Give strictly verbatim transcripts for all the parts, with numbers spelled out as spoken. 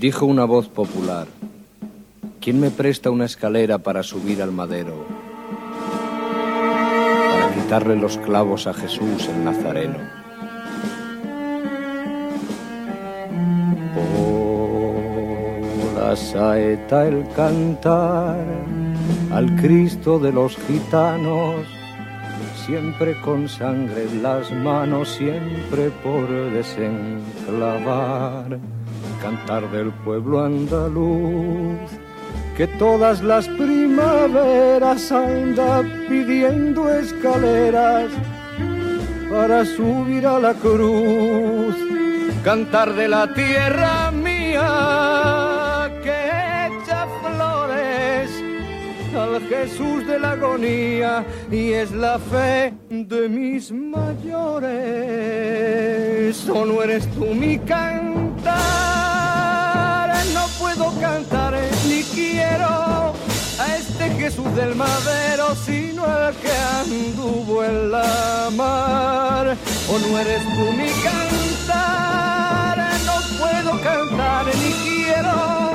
Dijo una voz popular: ¿quién me presta una escalera para subir al madero? Para quitarle los clavos a Jesús el Nazareno. Oh, la saeta, el cantar al Cristo de los gitanos, siempre con sangre en las manos, siempre por desenclavar. Cantar del pueblo andaluz, que todas las primaveras anda pidiendo escaleras para subir a la cruz. Cantar de la tierra mía, que echa flores al Jesús de la agonía, y es la fe de mis mayores. ¿O no eres tú mi cantar? No puedo cantar ni quiero a este Jesús del madero, sino al que anduvo en la mar. ¿O no eres tú mi cantar? No puedo cantar ni quiero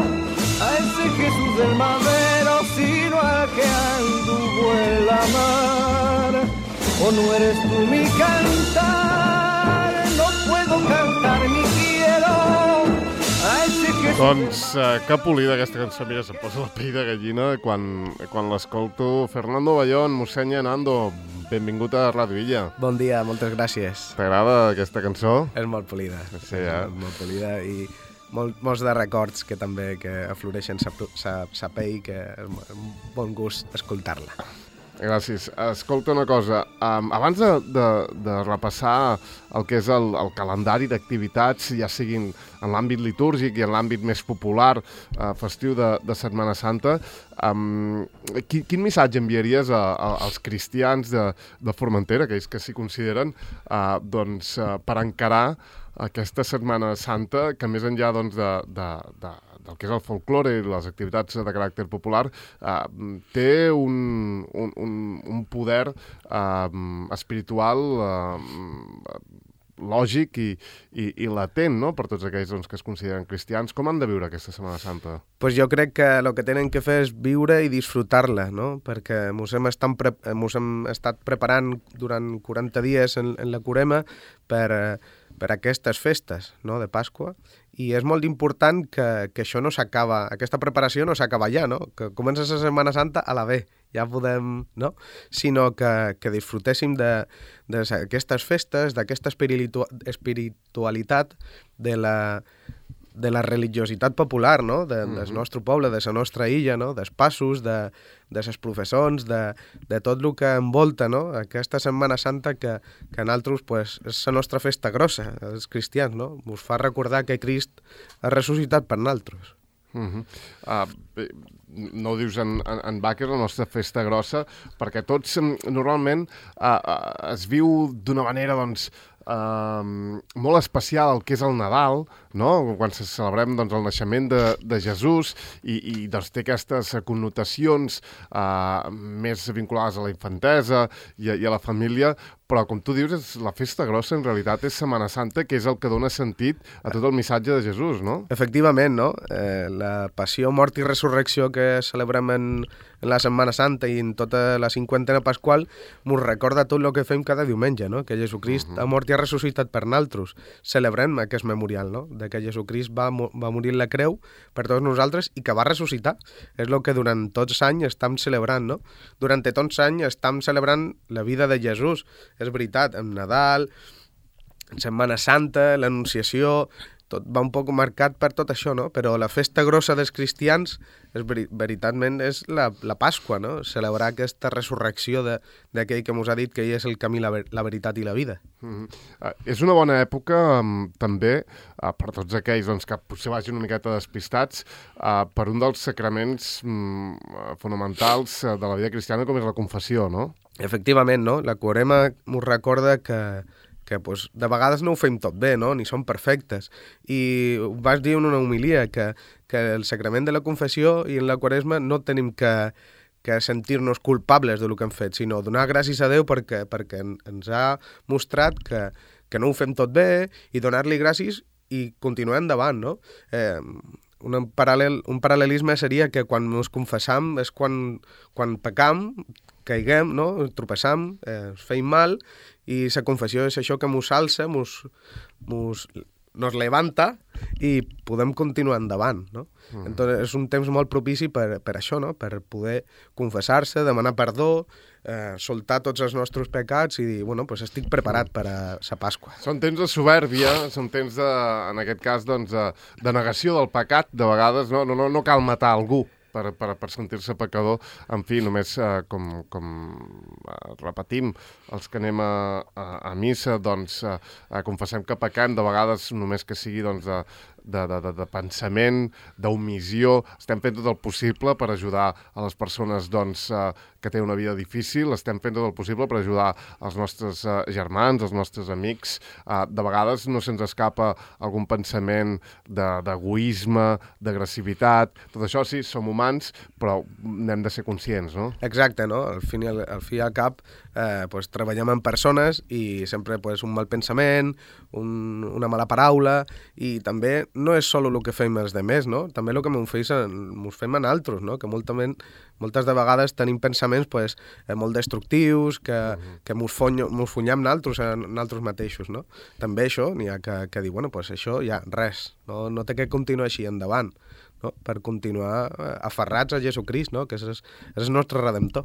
a ese Jesús del madero, sino al que anduvo en la mar. ¿O no eres tú mi cantar? No puedo cantar ni quiero a ese Jesús. Doncs uh, que polida aquesta cançó. Mira, se'm posa la pell de gallina quan, quan l'escolto. Fernando Bayón, mossèn Nando, benvingut a Ràdio Illa. Bon dia, moltes gràcies. T'agrada aquesta cançó? És molt polida. Sí, eh? Molt, molt polida i molt, molts de records que també que afloreixen sa, sa, sa pell, que és un bon gust escoltar-la. Gràcies. Escolta una cosa, um, abans de, de, de repassar el que és el, el calendari d'activitats, ja siguin en l'àmbit litúrgic i en l'àmbit més popular, uh, festiu de, de Setmana Santa, um, quin, quin missatge enviaries a, a, als cristians de, de Formentera, aquells que s'hi consideren, uh, doncs, uh, per encarar aquesta Setmana Santa, que més enllà doncs, de, de, de, del que és el folklore i les activitats de caràcter popular, eh, té un, un, un, un poder eh, espiritual eh, lògic i, i, i latent, no?, per tots aquells doncs, que es consideren cristians. Com han de viure aquesta Setmana Santa? Pues jo crec que el que tenen que fer és viure i disfrutar-la, no?, perquè mos hem, estat, pre mos hem estat preparant durant quaranta dies en, en la Curema per, per aquestes festes, no?, de Pasqua, i és molt important que, que això no s'acaba, aquesta preparació no s'acaba ja, no?, que comença la Setmana Santa a la bé, ja podem, no?, sinó que, que disfrutéssim d'aquestes festes, d'aquesta espiritu espiritualitat de la, de la religiositat popular, no?, de, mm-hmm. del nostre poble, de la nostra illa, no?, dels passos, de, de les professons, de, de tot el que envolta, no?, aquesta Setmana Santa que, que a nosaltres pues, és la nostra festa grossa, els cristians, no?, ens fa recordar que Crist ha ressuscitat per nosaltres. Uh-huh. uh, bé, no ho dius en, en, en va, que és la nostra festa grossa, perquè tots normalment uh, uh, es viu d'una manera, doncs, Uh, molt especial el que és el Nadal, no?, quan celebrem doncs, el naixement de, de Jesús i, i doncs, té aquestes connotacions uh, més vinculades a la infantesa i a, i a la família, però com tu dius, és la festa grossa en realitat és Setmana Santa, que és el que dona sentit a tot el missatge de Jesús, no? Efectivament, no? Eh, la passió, mort i resurrecció que celebrem en, en la Setmana Santa i en tota la cinquantena pasqual ens recorda tot el que fem cada diumenge, no?, que Jesucrist uh-huh. ha mort i ha ressuscitat per nosaltres. Celebrem aquest memorial, no?, de que Jesucrist va, va morir en la creu per tots nosaltres i que va ressuscitar. És el que durant tots els anys estem celebrant, no? Durant tots els anys estem celebrant la vida de Jesús. És veritat, en Nadal, en Setmana Santa, l'Anunciació, tot va un poc marcat per tot això, no? Però la festa grossa dels cristians és veri veritatment és la, la Pasqua, no? Celebrar aquesta resurrecció d'aquell que ens ha dit que ell és el camí, la, ver la veritat i la vida. Mm-hmm. uh, és una bona època um, també uh, per tots aquells doncs, que potser vagin una miqueta despistats uh, per un dels sacraments um, fonamentals uh, de la vida cristiana, com és la confessió, no? Efectivament, no? La Quaresma ens recorda que que pues, de vegades no ho fem tot bé, no?, ni som perfectes. I vas dir en una homilia que, que el sacrament de la confessió i en la Quaresma no tenim que, que sentir-nos culpables del que hem fet, sinó donar gràcies a Déu perquè, perquè ens ha mostrat que, que no ho fem tot bé i donar-li gràcies i continuar endavant, no? Eh, un, paral·lel, un paral·lelisme seria que quan ens confessam és quan, quan pecam, caiguem, no? Tropessam, eh, ens feim mal, i la confessió és això que mos alça, mos, mos, nos levanta i podem continuar endavant, no? Mm. Entonces, és un temps molt propici per, per això, no? Per poder confessar-se, demanar perdó, eh, soltar tots els nostres pecats i dir, bueno, pues estic preparat per a la Pasqua. Són temps de soberbia, són temps, de, en aquest cas, doncs, de, de negació del pecat, de vegades, no, no, no cal matar algú per, per, per sentir-se pecador. En fi, només eh, com, com eh, repetim, els que anem a, a, a missa, doncs eh, confessem que pequem, de vegades només que sigui doncs, de, de, de, de pensament, d'omissió. Estem fent tot el possible per ajudar a les persones doncs, eh, que tenen una vida difícil, estem fent tot el possible per ajudar els nostres eh, germans, els nostres amics. Eh, de vegades no se'ns escapa algun pensament d'egoisme, de, d'agressivitat. Tot això sí, som humans, però n'hem de ser conscients, no? Exacte, no? Al fi i al, al, fi i al cap eh, pues, treballem amb persones i sempre pues, un mal pensament, un, una mala paraula, i també no és sol el que fem els demés, no? També el que mos fem en altres, no? Que moltament, moltes de vegades tenim pensaments pues, eh, molt destructius, que, uh-huh. que mos, fonyo, mos funyam naltros, naltros mateixos, no? També això, n'hi ha que, que dir, bueno, pues això ja, res, no, no té que continuar així endavant, no? Per continuar aferrats a Jesucrist, no? Que és, és el nostre Redemptor.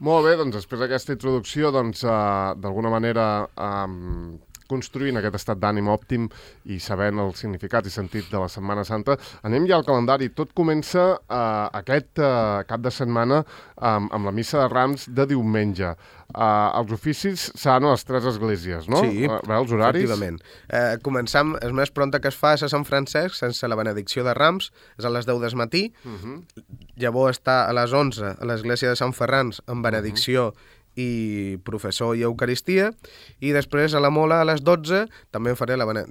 Molt bé, doncs després d'aquesta introducció, doncs, uh, d'alguna manera... Um, construint aquest estat d'ànim òptim i sabent el significat i sentit de la Setmana Santa, anem ja al calendari. Tot comença eh, aquest eh, cap de setmana eh, amb la missa de Rams de diumenge. Eh, els oficis seran a les tres esglésies, no? Sí, eh, els horaris? efectivament. Eh, començam, el més pronta que es fa és a Sant Francesc, sense la benedicció de Rams, és a les deu del matí. Uh-huh. Llavors està a les onze a l'església de Sant Ferran amb benedicció uh-huh. i professor i eucaristia, i després a la Mola a les dotze també, faré la bene...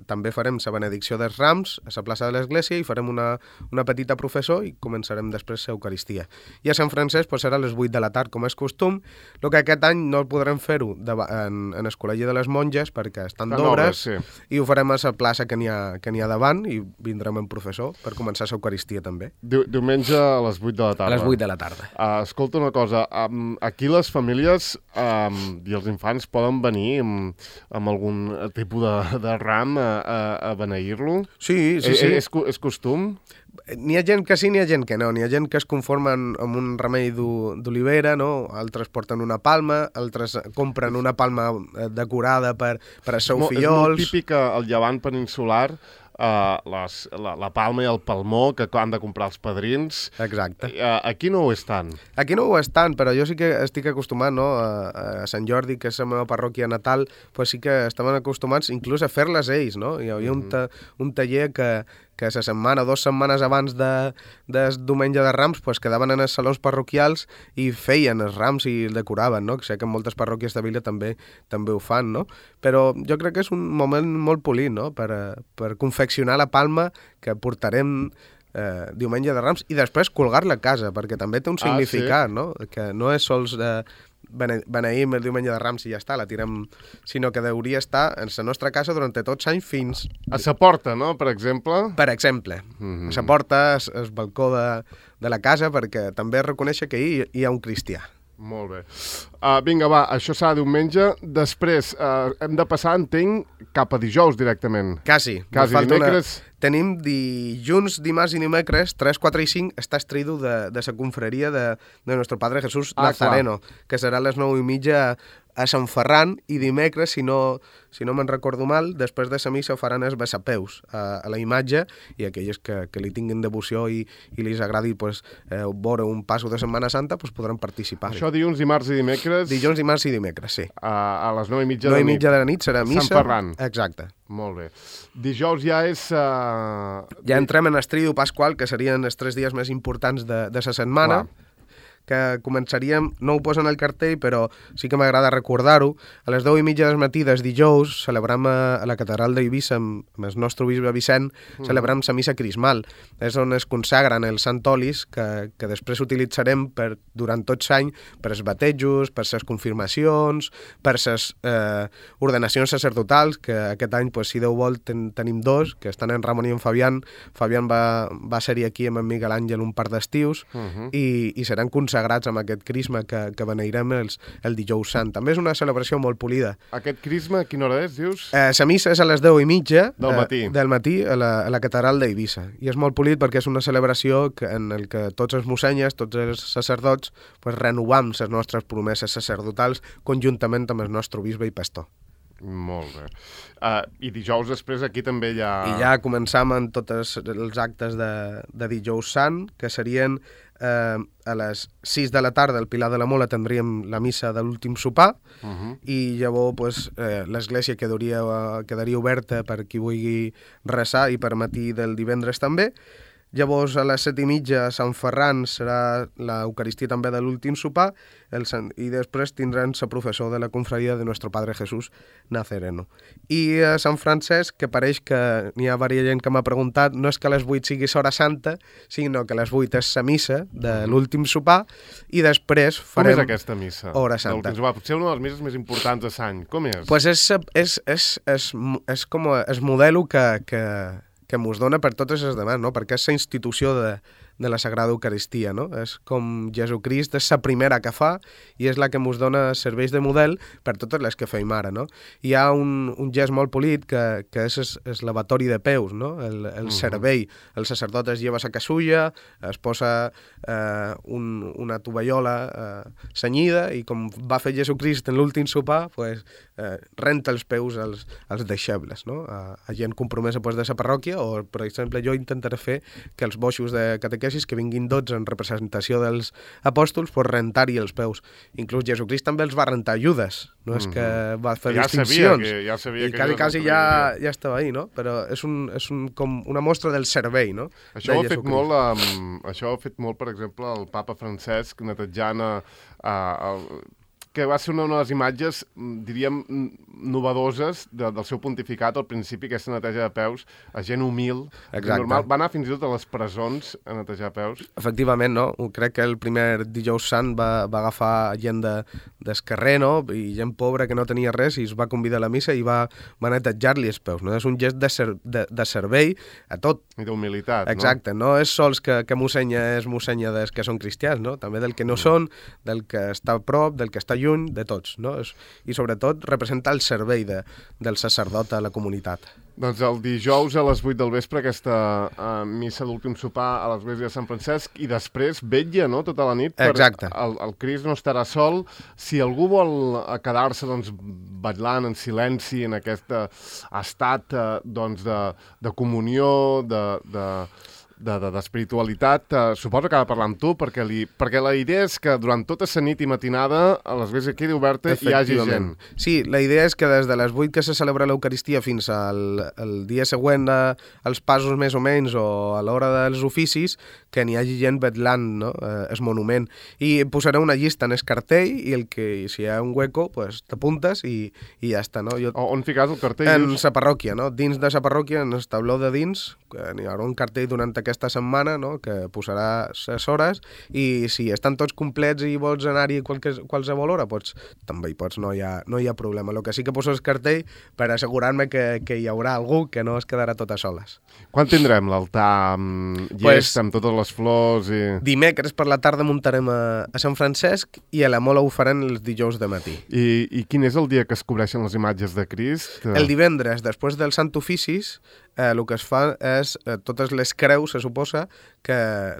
també farem la benedicció dels Rams a la plaça de l'església i farem una, una petita professor i començarem després l'eucaristia. I a Sant Francesc pues, serà a les vuit de la tarda, com és costum, el que aquest any no podrem fer-ho en, en el Col·legi de les Monges perquè estan d'obres, sí. I ho farem a la plaça que n'hi ha, que n'hi ha davant i vindrem en professor per començar l'eucaristia també. Diu, diumenge a les vuit de la tarda. A les vuit de la tarda. Uh, escolta una cosa, um, aquí les famílies um, i els infants poden venir amb, amb algun tipus de, de ram a, a, a beneir-lo? Sí, sí, sí. És, és costum? N'hi ha gent que sí, n'hi ha gent que no. N'hi ha gent que es conformen amb un remei d'olivera, no? Altres porten una palma, altres compren una palma decorada per, per als seus fillols. És molt típic al llevant peninsular, Uh, les, la, la palma i el palmó que han de comprar els padrins. Exacte. Uh, aquí no ho és tant. Aquí no ho és tant, però jo sí que estic acostumat, no? A, a Sant Jordi, que és la meva parròquia natal, pues sí que estaven acostumats inclús a fer-les ells, no? Hi havia mm-hmm. un, ta, un taller que, que la setmana, dues setmanes abans de, de diumenge de Rams, pues quedaven en els salons parroquials i feien els rams i el decoraven, no? Que sé que en moltes parròquies de Vila també també ho fan, no? Però jo crec que és un moment molt polit, no? Per, per confeccionar la palma que portarem eh, diumenge de Rams i després colgar-la a casa, perquè també té un significat, ah, sí? No? Que no és sols de bene, beneïm el diumenge de Rams i ja està, la tirem, sinó que hauria estar en la nostra casa durant tots anys fins... A sa porta, no?, per exemple? Per exemple. Mm-hmm. A sa porta, el balcó de, de la casa, perquè també reconèixer que hi, hi ha un cristià. Molt bé. Uh, vinga, va, això serà diumenge. Després, uh, hem de passar, entenc, cap a dijous directament. Quasi. Quasi, dimecres... Una... Tenim dilluns, dimarts i dimecres, tres, quatre i cinc, està estridu de, de la confraria de, de Nuestro Padre Jesús ah, Nazareno, clar. Que serà a les nou i mitja a Sant Ferran, i dimecres, si no, si no me'n recordo mal, després de la missa faran els besapeus a, a la imatge, i aquells que, que li tinguin devoció i, i li agradi pues, eh, veure un passo de Setmana Santa pues, podran participar. Això dilluns, dimarts i dimecres? Dilluns, dimarts i dimecres, sí. A, a les nou i mitja de la nit. nou i mitja de la nit serà missa. Sant Ferran. Exacte. Molt bé. Dijous ja és... Uh... Ja entrem en el Tridu Pasqual, que serien els tres dies més importants de, de la setmana. Clar. que començaríem, no ho posen al cartell, però sí que m'agrada recordar-ho, a les deu i mitja del matí des dijous celebrem a, a la catedral d'Eivissa amb, amb el nostre bisbe Vicent, mm. celebrem la missa crismal. És on es consagren els sant olis que, que després utilitzarem per, durant tot l'any per els batejos, per les confirmacions, per les eh, ordenacions sacerdotals, que aquest any, pues, si Déu vol, ten, tenim dos, que estan en Ramon i en Fabián. Fabián va, va ser-hi aquí amb en Miguel Àngel un par d'estius, uh -huh. i, i seran consagrats amb aquest crisma que, que beneirem els, el dijous sant. També és una celebració molt polida. Aquest crisma, a quina hora és, dius? Eh, la missa és a les deu i mitja del matí, eh, del matí a, la, a la catedral d'Eivissa. I és molt polit perquè és una celebració que, en el que tots els mussenyes, tots els sacerdots, pues, renovam les nostres promeses sacerdotals conjuntament amb el nostre bisbe i pastor. Molt bé. Uh, I dijous després aquí també hi ha... I ja començam amb tots els actes de, de dijous sant, que serien eh, a les sis de la tarda al Pilar de la Mola tindríem la missa de l'últim sopar, uh -huh. i llavors pues, eh, l'església quedaria, quedaria oberta per qui vulgui resar i per matí del divendres també. Llavors, a les set i mitja a Sant Ferran serà l'Eucaristia també de l'últim sopar, el Sant... i després tindrem la professor de la confraria de Nuestro Padre Jesús Nazareno. I a Sant Francesc, que pareix que n'hi ha varia gent que m'ha preguntat, no és que a les vuit sigui Hora Santa, sinó que a les vuit és la missa de l'últim sopar, i després farem... Com és aquesta missa? Hora Santa. Sopar. Potser una de les misses més importants de l'any. Com és? Pues és, és, és, és, és com el model que... que que mos dona per totes les demás, no? Perquè és la institució de, de la Sagrada Eucaristia, no? És com Jesucrist és la primera que fa i és la que mos dona serveis de model per totes les que feim ara, no? Hi ha un, un gest molt polit que, que és el lavatori de peus, no? El, el uh -huh. servei. El sacerdot es lleva sa casulla, es posa eh, un, una tovallola eh, senyida i com va fer Jesucrist en l'últim sopar, pues, eh, renta els peus als, als deixebles, no? A, a gent compromesa pues, de la parròquia, o, per exemple, jo intentaré fer que els boixos de catequesis que vinguin dotze en representació dels apòstols, pues, rentar-hi els peus. Inclús Jesucrist també els va rentar Judas, no és que va fer ja distincions. Sabia que, ja sabia I que quasi, quasi ja, ja estava ahí, no? Però és, un, és un, com una mostra del servei, no? Això ho ha fet molt, um, això ho ha fet molt, per exemple, el papa Francesc netejant a, a, a que va ser una de les imatges, diríem, novedoses de, del seu pontificat, al principi, aquesta neteja de peus, a gent humil, normal. Va anar fins i tot a les presons a netejar peus. Efectivament, no? Crec que el primer dijous sant va, va agafar gent de, del carrer, no? I gent pobra que no tenia res i es va convidar a la missa i va, va netejar-li els peus, no? És un gest de, ser, de, de servei a tot. I d'humilitat, no? Exacte, no és sols que, que mossenya és mossenya dels que són cristians, no? També del que no són, del que està a prop, del que està lluny, de tots, no? I sobretot representa el servei de, del sacerdot a la comunitat. Doncs el dijous a les vuit del vespre aquesta uh, missa d'últim sopar a l'església de Sant Francesc i després vetlla, no?, tota la nit. Per Exacte. El, el Crist no estarà sol. Si algú vol quedar-se, doncs, ballant en silenci en aquest uh, estat uh, doncs de, de comunió, de... de d'espiritualitat, de, de suposo que ha de parlar amb tu, perquè, li, perquè la idea és que durant tota la nit i matinada a l'església quedi oberta i hi hagi gent. Sí, la idea és que des de les vuit que se celebra l'Eucaristia fins al el dia següent a, als passos més o menys o a l'hora dels oficis, que n'hi hagi gent vetlant, no? eh, el monument. I posaré una llista en el cartell i el que, si hi ha un hueco, pues, t'apuntes i, i ja està. No? Jo, o, on fiques el cartell? En la parròquia, no? Dins de la parròquia, en el tauló de dins, n'hi haurà un cartell durant aquesta setmana, no?, que posarà les hores, i si estan tots complets i vols anar-hi qualque, qualsevol hora, pots, també hi pots, no hi ha, no hi ha problema. El que sí que poso el cartell per assegurar-me que, que hi haurà algú que no es quedarà tot a soles. Quan tindrem l'altar amb llest, pues, amb totes les flors? I... Dimecres per la tarda muntarem a, a Sant Francesc i a la Mola ho farem els dijous de matí. I, I quin és el dia que es cobreixen les imatges de Crist? El divendres, després del Sant Oficis, eh, el que es fa és, eh, totes les creus, se suposa, que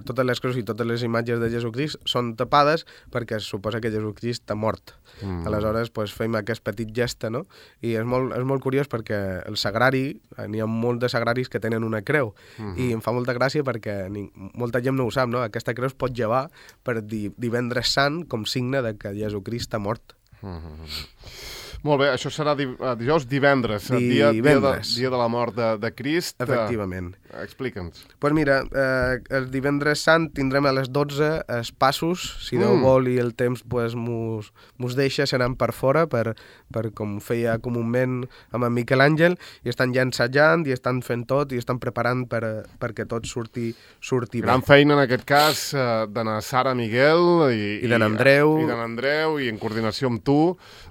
totes les creus i totes les imatges de Jesucrist són tapades perquè es suposa que Jesucrist ha mort. Mm. Aleshores, pues, fem aquest petit gest, no? I és molt, és molt curiós perquè el sagrari, n'hi ha molts de sagraris que tenen una creu, mm-hmm. i em fa molta gràcia perquè ni, molta gent no ho sap, no? Aquesta creu es pot llevar per di, divendres sant com signe de que Jesucrist ha mort. Mm-hmm. Molt bé, això serà di dijous, divendres, dia, divendres. Dia, de, dia de la mort de, de Crist. Efectivament. Uh, Explica'ns. Doncs pues mira, eh, el divendres sant tindrem a les dotze els passos, si Déu Mm. vol i el temps pues, mos, mos deixa, seran per fora, per, per com feia comúment amb en Miquel Àngel, i estan ja ensajant, i estan fent tot, i estan preparant per, perquè tot surti, surti bé. Gran feina, en aquest cas, uh, de na Sara Miguel i, I de n'Andreu. I de n'Andreu, i en coordinació amb tu,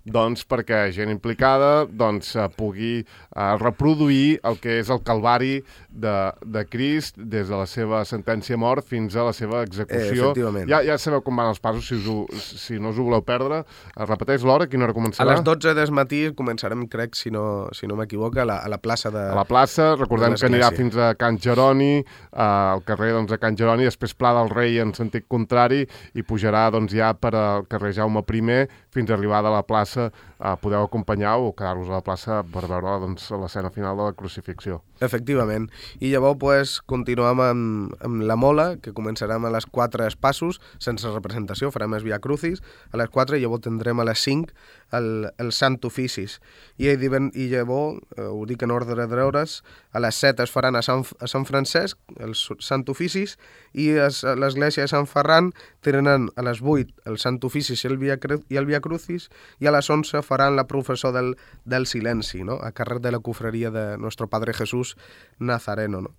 doncs perquè gent implicada doncs, uh, pugui uh, reproduir el que és el calvari de, de Crist des de la seva sentència a mort fins a la seva execució. Eh, ja, ja sabeu com van els passos, si, us ho, si no us ho voleu perdre. Uh, repeteix l'hora, quina hora començarà? A les dotze del matí començarem, crec, si no, si no m'equivoco, a, la, a la plaça de... A la plaça, recordem que anirà fins a Can Jeroni, uh, al carrer doncs, a Can Jeroni, després Pla del Rei en sentit contrari, i pujarà doncs, ja per al carrer Jaume primer fins a arribar a la plaça. Uh, podeu acompanyar o quedar-vos a la plaça per veure doncs, l'escena final de la crucifixió. Efectivament. I llavors pues, continuem amb, amb la mola, que començarem a les quatre passos, sense representació, farem el Via Crucis, a les quatre, i llavors tindrem a les cinc el, el Sant Oficis. I, i llavors, eh, ho dic en ordre d'hores, a les set es faran a Sant, a Sant Francesc, els Sant Oficis, i es, a l'església de Sant Ferran tenen a les vuit el Sant Oficis i el Via, i el Via Crucis, i a les onze faran la professó del, del silenci, no? A càrrec de la cofreria de Nuestro Padre Jesús Nazareno, no?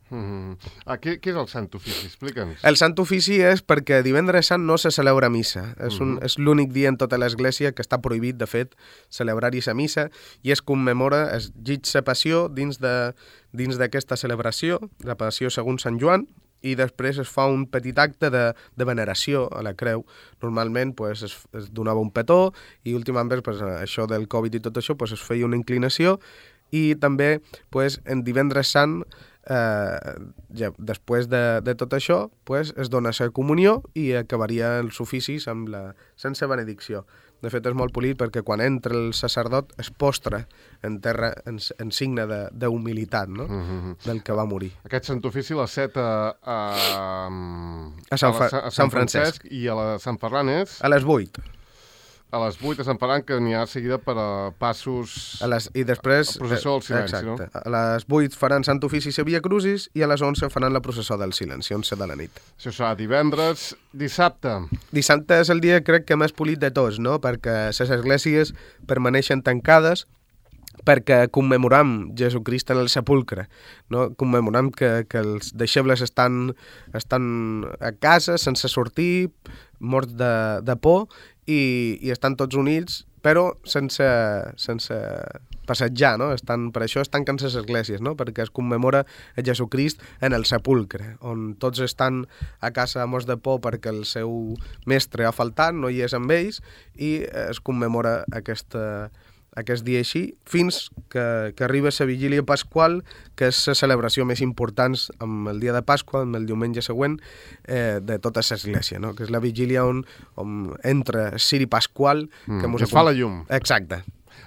Mm-hmm. ah, què, què és el Sant Ofici? Explica'ns. El Sant Ofici és perquè divendres sant no se celebra missa. És, un, Mm-hmm. és l'únic dia en tota l'església que està prohibit, de fet, celebrar-hi sa missa, i es commemora, es llig sa passió dins de dins d'aquesta celebració, la passió segons Sant Joan, i després es fa un petit acte de, de veneració a la creu. Normalment pues, es, es donava un petó, i últimament pues, això del Covid i tot això pues, es feia una inclinació, i també pues, en divendres sant, eh, ja, després de, de tot això, pues, es dona la comunió i acabaria els oficis amb la, sense benedicció. De fet, és molt polit perquè quan entra el sacerdot es postra en terra en, en signe d'humilitat, no? Mm-hmm. Del que va morir. Aquest Sant Ofici a les set a, a, A Sant, a, Fa, la, a Sant Francesc. Francesc, i a la Sant Ferran és A les vuit. a les vuit a Sant Ferran, que n'hi ha seguida per a passos... A les, I després... La processó del silenci, exacte. no? A les vuit faran Sant Ofici i Via Crucis, i a les onze faran la processó del silenci, onze de la nit. Això serà divendres. Dissabte. Dissabte és el dia, crec que més polit de tots, no? Perquè les esglésies permaneixen tancades, perquè commemoram Jesucrist en el sepulcre, no? Commemoram que, que els deixebles estan, estan a casa sense sortir, morts de, de por, i, i estan tots units, però sense, sense passejar, no? Estan, per això es tanquen les esglésies, no? Perquè es commemora a Jesucrist en el sepulcre, on tots estan a casa morts de por perquè el seu mestre ha faltat, no hi és amb ells, i es commemora aquesta aquest dia així, fins que, que arriba la vigília pasqual, que és la celebració més important amb el dia de Pasqua, amb el diumenge següent, eh, de tota l'església, no? Que és la vigília on, on entra el ciri pasqual... Mm, que mos es fa la llum. Exacte.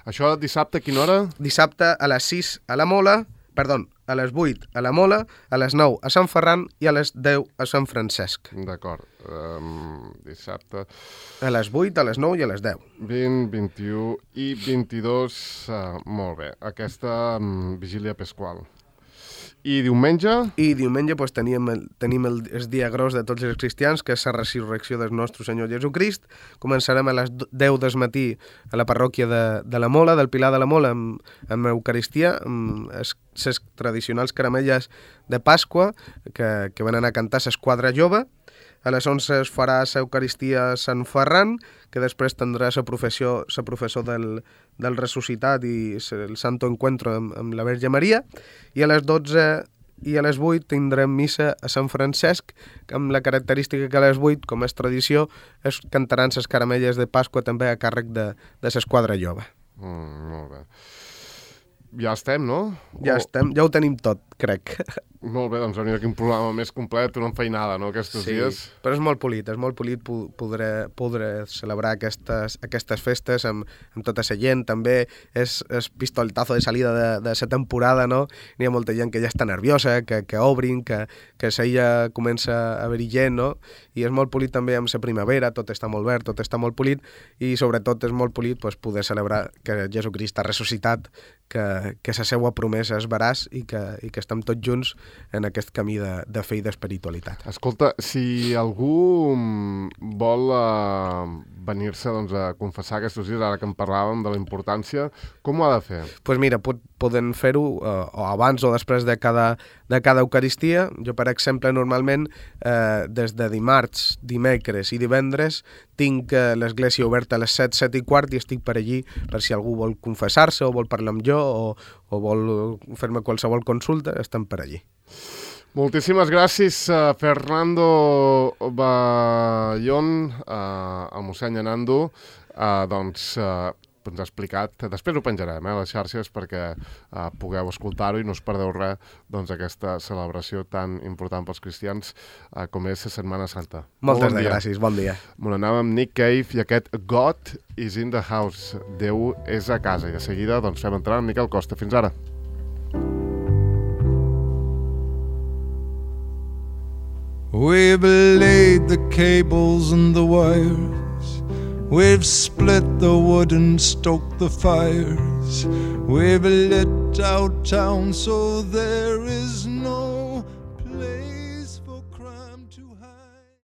Això dissabte a quina hora? Dissabte a les sis a la Mola, perdó, a les vuit a la Mola, a les nou a Sant Ferran i a les deu a Sant Francesc. D'acord. Um, dissabte... A les vuit, a les nou i a les deu. vint, vint-i-u i vint-i-dos... Uh, molt bé. Aquesta um, vigília pasqual. I diumenge? I diumenge pues, tenim, el, tenim el, el dia gros de tots els cristians, que és la resurrecció del nostre Senyor Jesucrist. Començarem a les deu del matí a la parròquia de, de la Mola, del Pilar de la Mola, amb, amb Eucaristia, amb les tradicionals caramelles de Pasqua, que, que venen a cantar l'esquadra jove. A les onze es farà l'Eucaristia a Sant Ferran, que després tindrà la professió, la professó del, del ressuscitat i el Santo Encuentro amb, amb la Verge Maria, i a les dotze i a les vuit tindrem missa a Sant Francesc, amb la característica que a les vuit, com és tradició, es cantaran les caramelles de Pasqua també a càrrec de, de l'esquadra jove. Mm, molt bé. Ja estem, no? Ja o... estem, ja ho tenim tot, crec. Molt bé, doncs ha quin programa més complet, una enfeinada, no?, aquests sí, dies. Però és molt polit, és molt polit poder, poder celebrar aquestes, aquestes festes amb, amb tota la gent. També és, és pistoletazo de salida de, de la temporada, no? N'hi ha molta gent que ja està nerviosa, que, que obrin, que, que ja comença a haver-hi gent, no? I és molt polit també amb la primavera, tot està molt verd, tot està molt polit, i sobretot és molt polit pues, poder celebrar que Jesucrist ha ressuscitat, que, que la seva promesa és veraç i que, i que estem tots junts en aquest camí de, de fe i d'espiritualitat. Escolta, si algú vol uh, venir-se doncs, a confessar aquests dies, ara que en parlàvem de la importància, com ho ha de fer? Doncs pues mira, pot, poden fer-ho uh, o abans o després de cada, de cada Eucaristia. Jo, per exemple, normalment, eh, des de dimarts, dimecres i divendres, tinc uh, l'església oberta a les set, set i quart i estic per allí per si algú vol confessar-se o vol parlar amb jo o, o vol fer-me qualsevol consulta, estem per allí. Moltíssimes gràcies, uh, Fernando Bayón, uh, el mossèn Nando. Uh, doncs uh, ens ha explicat, després ho penjarem eh, a les xarxes perquè uh, pugueu escoltar-ho i no us perdeu res doncs, aquesta celebració tan important pels cristians uh, com és la Setmana Santa. Moltes bon gràcies, bon dia. M'ho anàvem amb Nick Cave i aquest God is in the house, Déu és a casa, i de seguida doncs, fem entrar en Miquel Costa. Fins ara. We've laid the cables and the wires, we've split the wood and stoked the fires, we've lit out town so there is no